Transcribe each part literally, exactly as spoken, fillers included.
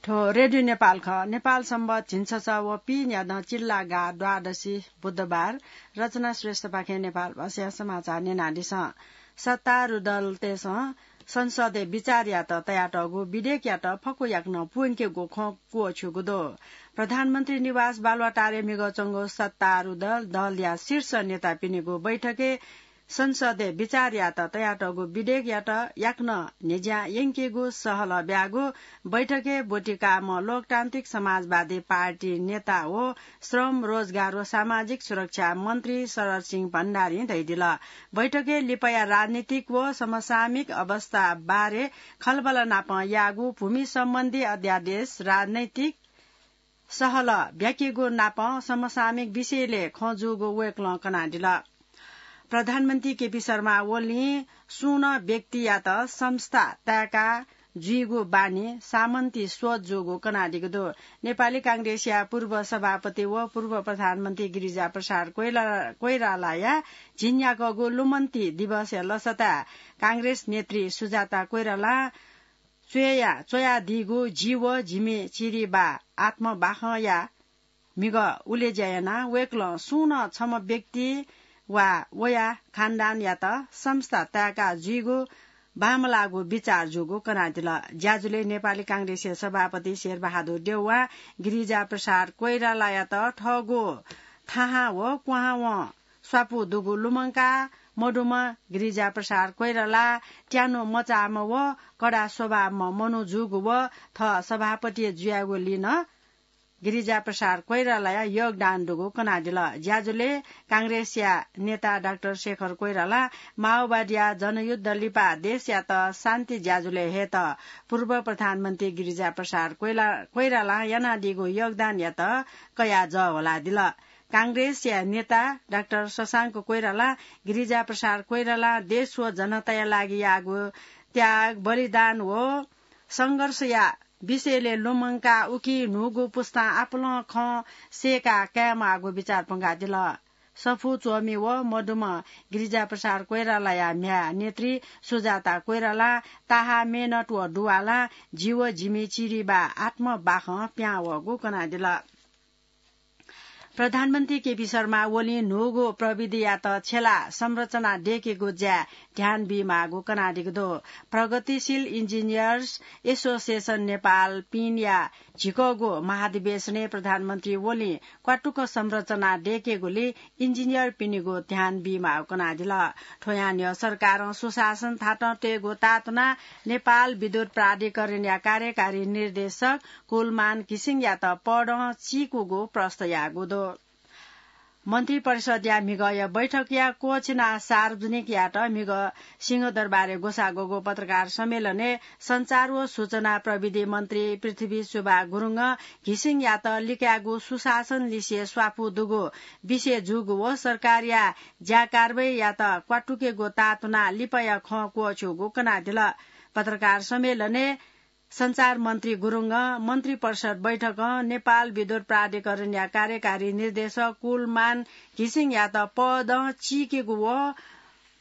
थ्व रेडियो नेपाल खः। नेपाल संवत झिंछसः व पीन्यादँ चिल्लागा द्वादशी बुधबार। रचना श्रेष्ठपाखें नेपाल भाषाया समाचार न्यनादिसँ। सत्तारूढ दलतय्सं संसदय् विचार यायेत तयातःगु विधेयकयात फक्व याकनं प्वंकेगु खँ क्वःछ्यूगु दु। प्रधानमन्त्री निवास बालुवाटारय् म्हिगः च्वंगु सत्तारूढ दल, दलया शीर्ष नेतापिनिगु बैठकय् संसदय् विचार यायेत तयातःगु विधेयकयात याकनं न्ह्यज्यां यंकेगु सहलह ब्याःगु बैठकय् ब्वति काःम्ह लोकतान्त्रिक समाजवादी पार्टी नेता व श्रम, रोजगार व सामाजिक सुरक्षा मन्त्री शरद सिंह भण्डारीं धयादिल। बैठकय् लिपाया राजनीतिक व समसामयिक अवस्था बारे खँल्हाबल्हा नापं याःगु भूमि सम्बन्धी अध्यादेश, राजनैतिक सहलह ब्याकेगु नापं समसामयिक विषयलय् खँ जूगु वय्कलं कनादिल। प्रधानमन्त्री केपी शर्मा ओलीं सुं नं व्यक्तियात संस्था ताय्का जुइगु बानी सामन्ती सोच जूगु कनादीगु दु। नेपाली कांग्रेसया पूर्व सभापति व पूर्व प्रधानमन्त्री गिरिजा प्रसाद कोइरा-, कोइरालाया झिंन्याकःगु लुमन्ती दिवसया लसताय् कांग्रेस नेत्री सुजाता कोइरालां च्वया-, च्वयादीगु जि व जिमि चिरिबा आत्मबाखंया म्हिगः उलेज्या यानाः वय्कलं सुं नं छम्ह व्यक्ति वा वया खानदानयात संस्था ताय्का जुइगु बांमलाःगु बिचाः जूगु कनादिल। ज्याझ्वलय् नेपाली कांग्रेसया सभापति शेरबहादुर देउवां गिरिजा प्रसाद कोइरालायात थःगु थाहां व क्वहां वं स्वापू दुगु लुमंकाः मदुम्ह गिरिजा प्रसाद कोइराला त्यानु मचाःम्ह व कडा स्वभावम्ह मनू जूगु व थः सभापति जुयागुलिं नं गिरिजा प्रसाद कोइरालाया योगदान दुगु कनादिल। ज्याझ्वलय् कांग्रेसया नेता डाक्टर शेखर कोइरालां माओवादीया जनयुद्ध लिपा देशयात शान्ति ज्याझ्वलय् हयेत पूर्व प्रधानमन्त्री गिरिजा प्रसाद कोइला-, कोइरालां यानादीगु योगदानयात कयाः जःह्वलादिल। कांग्रेसया नेता डाक्टर शशांक कोइरालां गिरिजा प्रसाद कोइरालां देश व जनताया लागि याःगु त्याग, बलिदान व संघर्षया विषयलय् लुमंकाः उकी न्हूगु पुस्तां आपालं खँ सय्काः कायेमाःगु बिचाः प्वंकादिल। सफू च्वमि व मदुम्ह गिरिजा प्रसाद कोइरालाया म्ह्याय् नेत्री सुजाता कोइरालां ताहाः मेहनत व दुवालां जि व जिमि चिरिबा आत्मबाखं पिहां वःगु कनादिल। प्रधानमन्त्री केपी शर्मा ओलीं न्हूगु प्रविधियात छ्यलाः संरचना दयेकेगु ज्याय् ध्यान बीमाःगु कनादीगु दु। प्रगतिशील इन्जिनियर्स एसोसिएसन नेपाल, पिनया झिकःगु महाधिवेशनय् प्रधानमन्त्री ओलीं क्वातुक संरचना दयेकेगुलिइ इन्जिनियरपिनिगु ध्यान बीमाःगु कनादिल। थ्व यानाः सरकारं सुशासन थातं तयेगु ताःतुनाः नेपाल विद्युत प्राधिकरणया कार्यकारी निर्देशक कुलमान घिसिङयात पदं चीकूगु प्रस्ताव याःगु दु। मन्त्रिपरिषद्या म्हिगःया बैठकया क्वःछिनाः सार्वजनिक यायेत म्हिगः सिंहदरबारय् ग्वसाः ग्वःगु पत्रकार सम्मेलनय् सञ्चार व सूचना प्रविधि मन्त्री पृथ्वी सुब्बा गुरुङं घिसिङयात लिकायेगु सुशासन लिसे स्वापू दुगु विषय जूगु व सरकारया ज्या कारवाहीयात क्वातुकेगु ताःतुनाः लिपाया खँ क्वःछ्यूगु कनादिल। पत्रकार सम्मेलनय् सञ्चार मन्त्री गुरुङं मन्त्रिपरिषद बैठकं नेपाल विद्युत प्राधिकरणया कार्यकारी निर्देशक कुलमान घिसिङयात पदं चीकेगु व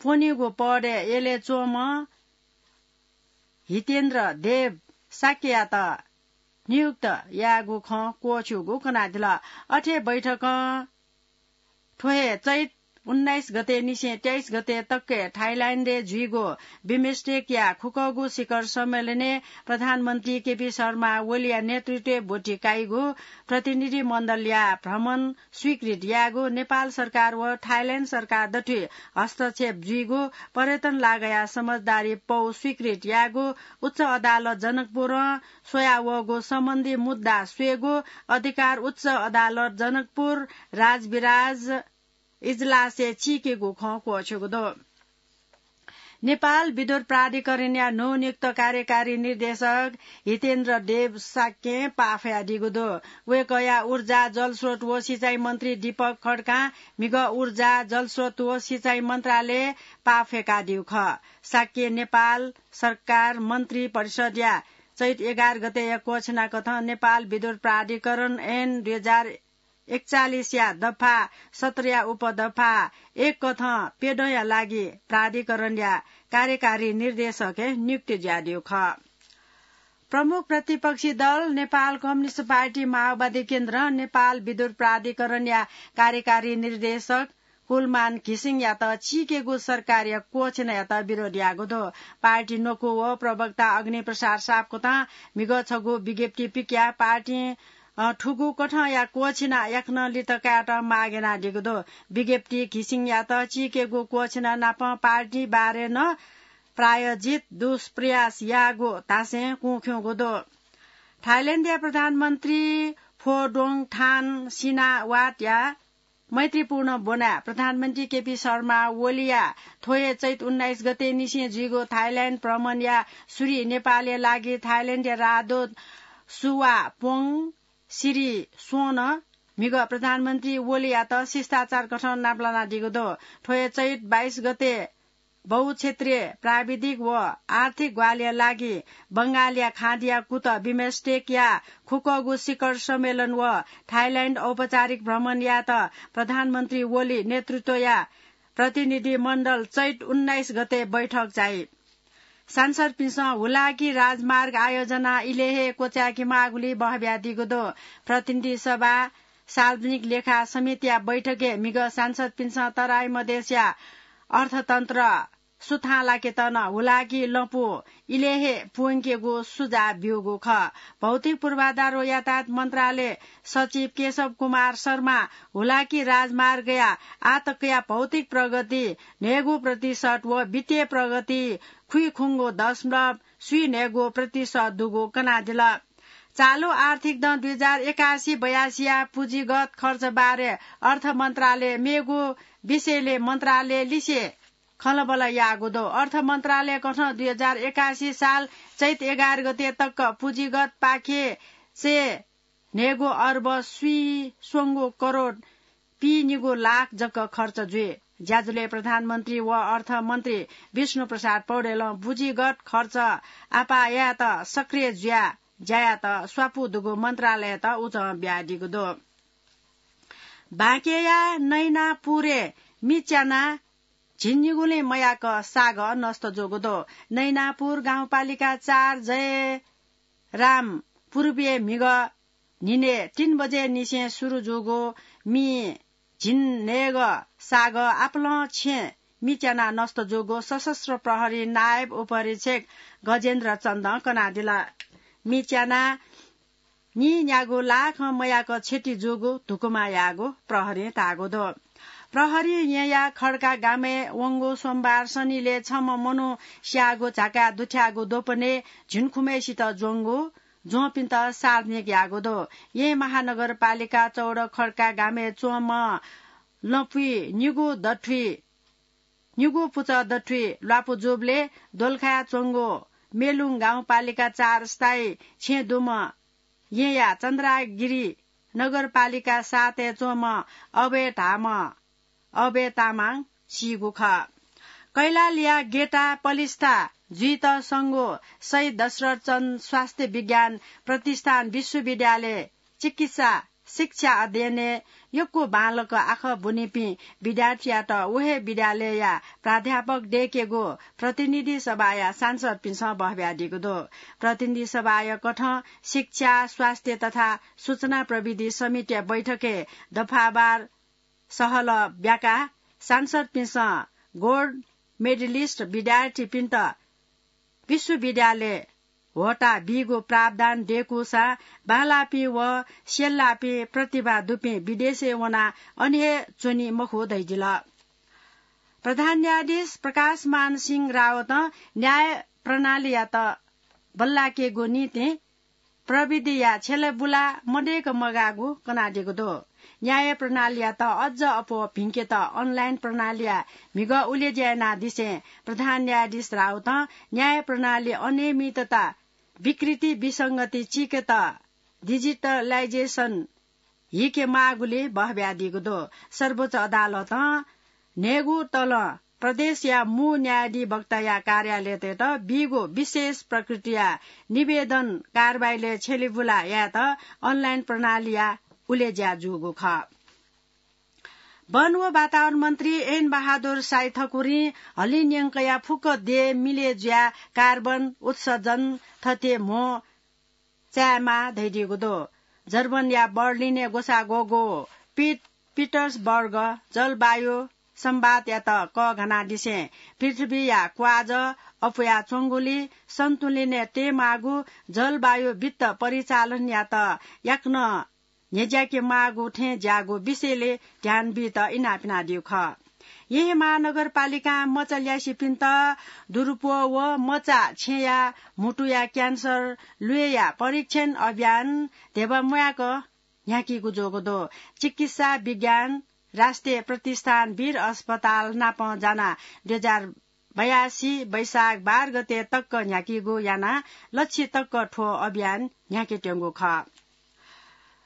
प्वनीगु पदय् यलय् च्वंम्ह हितेन्द्र देव शाक्ययात नियुक्त यायेगु खँ क्वःछ्यूगु कनादिल। अथे बैठकं थ्व हे चैत उन्नाइस गते निसें तेइस गते तक थाइल्याण्डय् जुइगु बिमस्टेकया खुकःगु शिखर सम्मेलनय् प्रधानमन्त्री केपी शर्मा ओलीया नेतृत्वय् ब्वति काइगु प्रतिनिधि मण्डलया भ्रमण स्वीकृत यायेगु, नेपाल सरकार व थाइल्याण्ड सरकार दथुइ हस्तक्षेप जुइगु, पर्यटन लागाया समझदारी पौ स्वीकृत यायेगु, उच्च अदालत जनकपुरं स्वयावःगु सम्बन्धी मुद्दा स्वयेगु, अधिकार उच्च अदालत जनकपुर राजविराज इजलासय् चीकेगु खँ क्वःछ्यूगु दु। नेपाल विद्युत प्राधिकरणया नवनियुक्त कार्यकारी निर्देशक हितेन्द्र देव शाक्यं पाफयादीगु दु। वय्कःया ऊर्जा, जलस्रोत व सिँचाइ मन्त्री दीपक खड्कां म्हिगः ऊर्जा, जलस्रोत व सिँचाइ मन्त्रालयय् पाफय्कादीगु खः। शाक्यं नेपाल सरकार मन्त्रिपरिषद्या चैत एघार गतेया क्वःछिनाकथं नेपाल विद्युत प्राधिकरण ऐन दुई हजार एकचालिसया दफा सत्रया उपदफा एक कथं प्यदँया लागि प्राधिकरणया कार्यकारी निर्देशकय् नियुक्त जुयादीगु खः। प्रमुख प्रतिपक्षी दल नेपाल कम्युनिस्ट पार्टी माओवादी केन्द्र नेपाल विद्युत प्राधिकरणया कार्यकारी निर्देशक कुलमान घिसिङयात चीकेगु सरकारया क्वःछिनायात विरोध याःगु दु। पार्टी न्वकू व प्रवक्ता अग्निप्रसाद सापकोटां म्हिगः छगू विज्ञप्ति पिकयाः पार्टीं, अ, थुगु कथंया क्वःछिना याकनं लित कायेत माग यानादीगु दु। विज्ञप्ति घिसिङयात चीकेगु क्वःछिना नाप पार्टी बारे नं प्रायोजित दुष्प्रयास याःगु धासें कुँख्यूगु दु। थाइल्याण्डया प्रधानमन्त्री फोडोङ थान सिनावाटया मैत्रीपूर्ण ब्वनाः प्रधानमन्त्री केपी शर्मा ओलीया थ्व हे चैत उन्नाइस गते निसें जुइगु थाइल्याण्ड भ्रमणया सुरुइ नेपालया लागि थाइल्याण्डया राजदूत सुवापोङ सिरिसोनं म्हिगः प्रधानमन्त्री ओलीयात शिष्टाचार कथं नापलानादीगु दु। थ्व हे चैत बाइस गते बहुक्षेत्रीय प्राविधिक व आर्थिक ग्वाहालिया लागि बंगालया खाँदिया कुत बिमस्टेकया खुक्कगू शिखर सम्मेलन व थाइल्याण्ड औपचारिक भ्रमण यायेत प्रधानमन्त्री ओली नेतृत्वया प्रतिनिधि मण्डल चैत उन्नाइस गते बैठक चाइ। सांसदपिन्सं हुलाकी राजमार्ग आयोजना इलय् हे क्वचाय्के माःगुलिइ बहब्यादीगु दु। प्रतिनिधि सभा सार्वजनिक लेखा समितिया बैठकय् म्हिगः सांसदपिन्सं तराई मधेसया अर्थतन्त्र सुथां लाकेत नं हुलाकी लँपु इलय् हे प्वंकेगु सुझाव ब्यूगु खः। भौतिक पूर्वाधार व यातायात मन्त्रालय सचिव केशव कुमार शर्मा हुलाकी राजमार्गया आतकया भौतिक प्रगति न्हय्गू प्रतिशत व वित्तीय प्रगति खुइखुंगू दशमलव स्वीन्हय्गू प्रतिशत दुगु कनादिल। चालु आर्थिक दँ दुई हजार एकासी बयासीया पुँजीगत खर्च बारे अर्थ मन्त्रालय मेगु विषयले मन्त्रालय लिसे खँल्हाबल्हा याःगु दु। अर्थ मन्त्रालय कथं दुई हजार एकासी साल चैत एघार गते तक पुँजीगत पाखें न्हय्गू अर्ब स्वीस्वंगू करोड पीनिगू लाख जक खर्च जुइ। ज्याझ्वलय् प्रधानमन्त्री व अर्थमन्त्री विष्णु प्रसाद पौडेलं पुँजीगत खर्च आपाः यायेत सक्रिय जुयाः ज्या यायेत स्वापू दुगु मन्त्रालययात उजं बियादीगु दु। बाँकेया नैनापुरय् मि च्यानाः झिंनिगुलिं मयाक सागः नष्ट जूगु दु। नैनापुर गाउँपालिका चार जयराम पूर्वय् म्हिगः न्हिनय् तीन बजे निसें सुरु जूगु मि झिंन्हय्गः सागः आपालं छेँ मि च्यानाः नष्ट जूगु सशस्त्र प्रहरी नायब उपरीक्षक गजेन्द्र चन्दं कनादिल। मि च्यानाः नीन्यागू लाखं मयाक क्षति जूगु धुकुमा याःगु प्रहरीं धाःगु दु। प्रहरी येँया खड्का गामय् वंगु सोमबार सनिलय् छम्ह मनू स्याःगु झाकाः दुथ्याःगु द्वपनय् झिंखुम्हय्सित ज्वंगु ज्वंपिन्त सार्वजनिक याःगु दु। येँ महानगरपालिका चौध खड्का गामय् च्वंम्ह लँपुइ निगू दथुइ निगू पुचः दथुइ ल्वापु जूबलय् दोलखाय् च्वंगु मेलुङ गाउँपालिका चार स्थायी छेँ दुम्ह येँया चन्द्रागिरी नगरपालिका सातय् च्वंम्ह अभय धाःम्ह अभय तामाङ सीगु खः। कैलालीया गेटा पलिस्था जुइत संगु शहीद दशरथ चन्द स्वास्थ्य विज्ञान प्रतिष्ठान विश्वविद्यालय चिकित्सा शिक्षा अध्ययनय् यक्व बांलाक आखः ब्वनीपिं विद्यार्थीयात व हे विद्यालयया प्राध्यापक दय्केगु प्रतिनिधि सभाया सांसदपिन्सं बहब्यादीगु दु। प्रतिनिधि सभाया कथं शिक्षा, स्वास्थ्य तथा सूचना प्रविधि समितिया बैठकय् दफावार सहलह ब्याकाः सांसदपिन्सं गोल्ड मेडलिस्ट विद्यार्थीपिन्त विश्वविद्यालय होता बीगु प्रावधान दय्कूसां बांलाःपिं व स्यल्लाःपिं प्रतिभा दुपिं विदेशय् वनाः अन हे च्वनी मखु धयादिल। प्रधान न्यायाधीश प्रकाशमान सिंह रावतं न्याय प्रणालीयात बल्लाकेगु निंतिं प्रविधिया छ्यलेबुला मदय्क मगाःगु कनादीगु दु। न्याय प्रणालीयात अझ अप्वः भिंकेत अनलाइन प्रणालीया म्हिगः उलेज्या यानादिसें प्रधान न्यायाधीश रावतं न्याय प्रणाली अनियमितता, विकृति, विसंगति चीकेत डिजिटलाइजेसन हीके माःगुलिइ बहब्यादीगु दु। सर्वोच्च अदालतं न्हय्गू तलं प्रदेशया मू न्यायाधिवक्ताया कार्यालयतय्त बीगु विशेष प्रकृतिया निवेदन कारवाहीलय् छ्यलेबुला यायेत अनलाइन प्रणालीया उलेज्या जूगु खः। वन व वातावरण मन्त्री एन बहादुर साई ठकुरीं हलिं न्यंकया फुक्क देय् मिले जुयाः कार्बन उत्सर्जन थथे म्हो चायेमाः धयादीगु दु। जर्मनया बर्लिनय् ग्वसाः ग्वःगु पिट-, पिटर्सबर्ग जलवायु संवादयात कःघानादिसें पृथ्वीया क्वाजः अप्वयाच्वंगुलिं सन्तुलनय् तयेमाःगु जलवायु वित्त परिचालनयात याकनं न्ह्यज्याके माःगु थें ज्याःगु विषयले ध्यान बीत इनाप यानादीगु खः। येँ महानगरपालिकां मचा ल्यासेपिन्त दुरुपो व मचा छेँया म्हुतुया क्यान्सर ल्वय्‌या परीक्षण अभियान धेबा म्वायेक न्ह्याकीगु जूगु दु। चिकित्सा विज्ञान राष्ट्रिय प्रतिष्ठान वीर अस्पताल नाप जानाः दुई हजार बयासी वैशाख बाह्र गते तक न्ह्याकीगु यानाः लच्छि तक थ्व अभियान न्ह्याकेत्यंगु खः।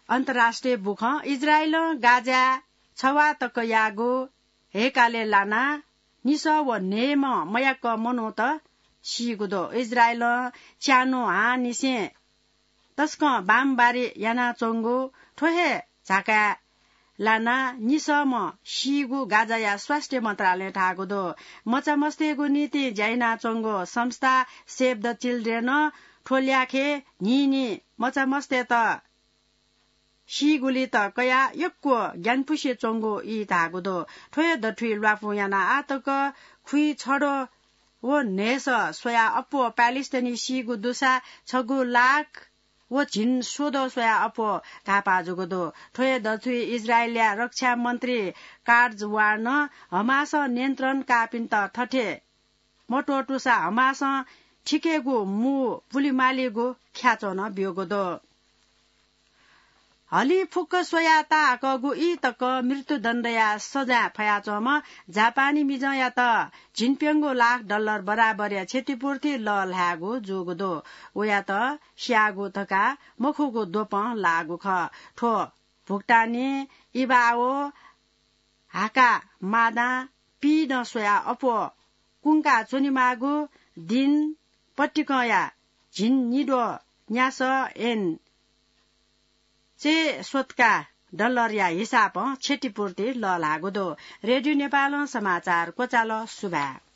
अन्तर्राष्ट्रिय बुखँ। इजरायलं गाजाय् छवाः तकयागु हय्‌कालय् लानाः निसः व न्हय्‌म्ह मयाक मनूत सीगु दु। इजरायलं च्यान्हु हांनिसें तसकं बमबारी यानाच्वंगु थ्व हे झाकाय् लानाः निसःम्ह सीगु गाजाया स्वास्थ्य मन्त्रालयं धाःगु दु। मचामस्तय्‌गु निंतिं ज्या यानाच्वंगु संस्था Save the Children नं थ्व ल्याखय् न्हिं न्हिं मचामस्तय्‌त सीगुलित कयाः यक्व ग्यानापुसे च्वंगु ई धाःगु दु। थ्व हे दथुइ ल्वापु यानाः आः तक खुइछद्वः व न्हय्‌सः स्वयाः अप्वः प्यालेस्टाइनी सीगु दुसा छगू लाख व झिंस्वदँ स्वयाः अप्वः घाःपाः जूगु दु। थ्व हे दथुइ इजरायलया रक्षा मन्त्री काट्ज वार्नं हमासं नियन्त्रण काःपिन्त थथे मत्वःतूसा हमासं थिकेगु मू पुलेमालीगु ख्याच्वः नं ब्यूगु दु। हलिं फुक्क स्वयाः ताहाकःगु ई तक मृत्युदण्डया सजाँय फयाच्वंम्ह जापानी मिजंयात झिंप्यंगू लाख डलर बराबरया क्षतिपूर्ति लःल्हायेगु जूगु दु। वयात स्याःगु धकाः मखुगु द्वपं लाःगु खः। थ्व भुक्तानी इबाओ हाकामादां पिइदँ स्वयाः अप्वः कुंका च्वनेमाःगु दिं पतिकंया झिंनिद्वः न्यासः एन चय्‌स्वतका डलरया हिसाबं क्षतिपूर्ति लःल्हाःगु दु। रेडियो नेपालं समाचार क्वचाल। सुभाय्।